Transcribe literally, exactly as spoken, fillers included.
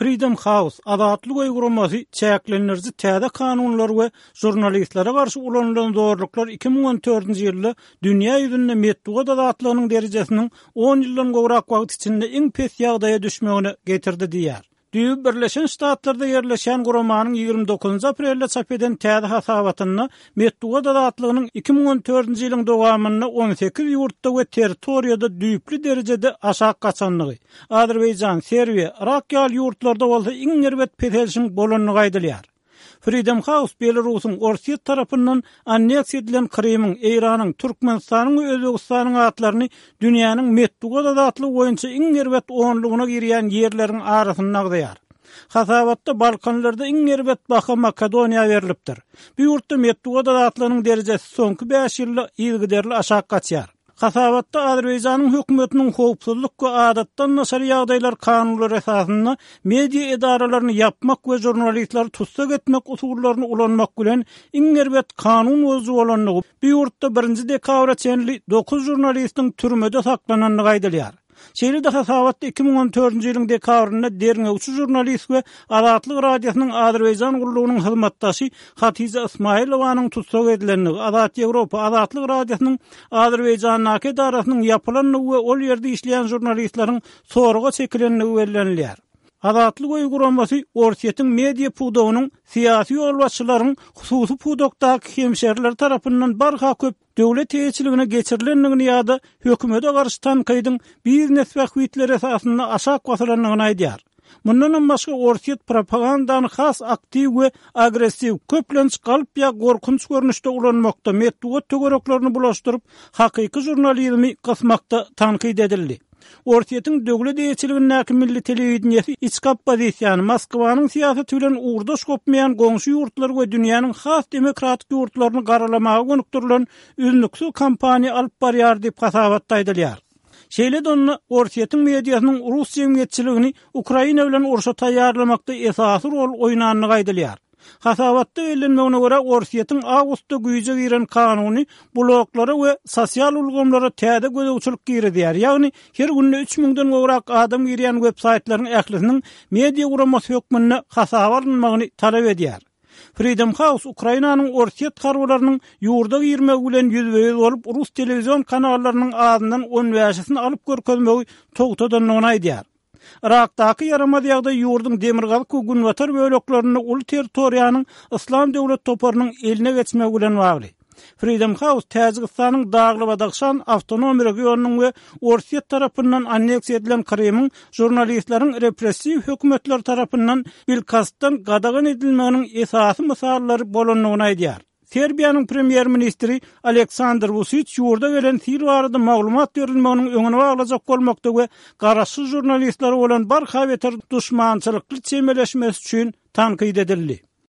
Freedom House, Azatlyk öýi guramasy çäklendiriji täze kanunlar we žurnalistlere garşy ulanylan zorluklar iki müň on dördünji ýylda dünýä ýüzünde metbugat azatlygynyň derejesiniň on ýyldan gowrak wagt içinde iň pes ýagdaýa düşmegine getirdi diýýär. Düýbi Birleşen Ştatlarda ýerleşýän guramanyň ýigrimi dokuzynjy aprelde çap eden täze hasabatynda metbugat azatlygynyň iki müň on dördünji ýylyň dowamynda on sekiz ýurtda we territoriýada düýpli derejede aşak gaçandygy, Azerbaýjan, Serbiýa, Yrak ýaly ýurtlarda bolsa iň erbet peselişiň bolandygy aýdylýar. Freedom House Belarusyň Orsýet tarapyndan anneksiýa edilen Krymyň, Eýranyň, Türkmenistanyň we Özbegistanyň atlaryny dünýäniň metbugat azatlygy boýunça iň erbet onlugyna girýän ýerleriň arasynda agzaýar. Hasabatda Balkanlarda iň erbet baha Makedoniýa berlipdir. Bu ýurtda metbugat azatlygynyň derejesi soňky bäş ýylda yzygiderli aşak gaçýar. Hasabatda Azerbaýjanyň hökümetiniň howpsuzlyk we adatdan daşary ýagdaýlar kanunlary esasynda media edaralaryny ýapmak we žurnalistleri tussag etmek usullaryny ulanmak bilen iň erbet kanun bozuju bolandygy, bu ýurtda birinji dekabra çenli dokuz žurnalistiň türmede saklanandygy aýdylýar. Şeýle-de hasabatda iki müň on dördünji ýylyň dekabrynda derňewçi žurnalist we Azatlyk Radiosynyň Azerbaýjan gullugynyň hyzmatdaşy Hatice Ismailowanyň tussag edilendigi, Azat Ýewropa, Azatlyk Radiosynyň Azerbaýjandaky edarasynyň ýapylandygy we ol ýerde işleýän žurnalistleriň soraga çekilendigi bellenilýär. Azatlyk öýi guramasy Orsýetiň media pudagynyň syýasy ýolbaşçylaryň hususy pudakdaky hemşeriler tarapyndan barha köp döwlet eýeçiligine geçirilendigini ýa-da hökümete garşy tankydyň biznes bähbitleri esasynda aşak basylandygyny aýdýar. Mundanam başga Orsýet propagandany has aktiw we agressiw, köplenç galp ýa gorkunç görnüşde ulanmakda, metbugat töwereklerini bulaşdyryp, hakyky žurnalizmi gysmakda tankyt edildi. Orsýetiň döwlet eýeçiligindäki milli telewideniýesi içki oppozisiýany Moskwanyň syýasaty bilen ugurdaş gopmaýan goňşy ýurtlar we dünýäniň has demokratik ýurtlaryny garalamaga gönükdirilen üznüksiz kampaniýa alyp barýar diýip hasabatda aýdylýar. Şeýle-de onda Orsýetiň mediasynyň rus jemgyýetçiligini Ukraina bilen urşa taýýarlamakda esasy rol oýnandygy aýdylýar. Hasabatda bellenmegine görä Orsýetiň awgustda güýje giren kanuny bloklara we sosial ulgamlara täze gözegçilik girizýär. Ýagny her günde üç müňden gowrak adam girýän web-saýtlaryň ählisiniň media guramasy hökmünde hasaba alynmagyny talap edýär. Freedom House Ukrainanyň Orsýet harbylarynyň ýurda girmegi bilen ýüzbe-ýüz bolup, rus telewizion kanallarynyň azyndan on bäşisini alyp görkezmegi togtadandygyny aýdýar. Irakdaky ýaramaz ýagdaý ýurduň demirgazyk we günbatar böleklerinde uly territoriýanyň Islam döwlet toparynyň eline geçmegi bilen bagly. Freedom House Täjigistanyň Dagly-Badahşan awtonom regionynyň we Orsýet tarapyndan anneksiýa edilen Krymyň žurnalistleriň repressiw hökümetler tarapyndan bilkastdan gadagan edilmeginiň esasy mysallary bolandygyny aýdýar. Serbiýanyň premýer-ministri Aleksandr Vučić ýurda gelen sil barada maglumat berilmeginiň öňüni baglajak bolmakda we garaşsyz žurnalistler bolan barha beter duşmançylykly çemeleşmesi üçin tankyt edildi.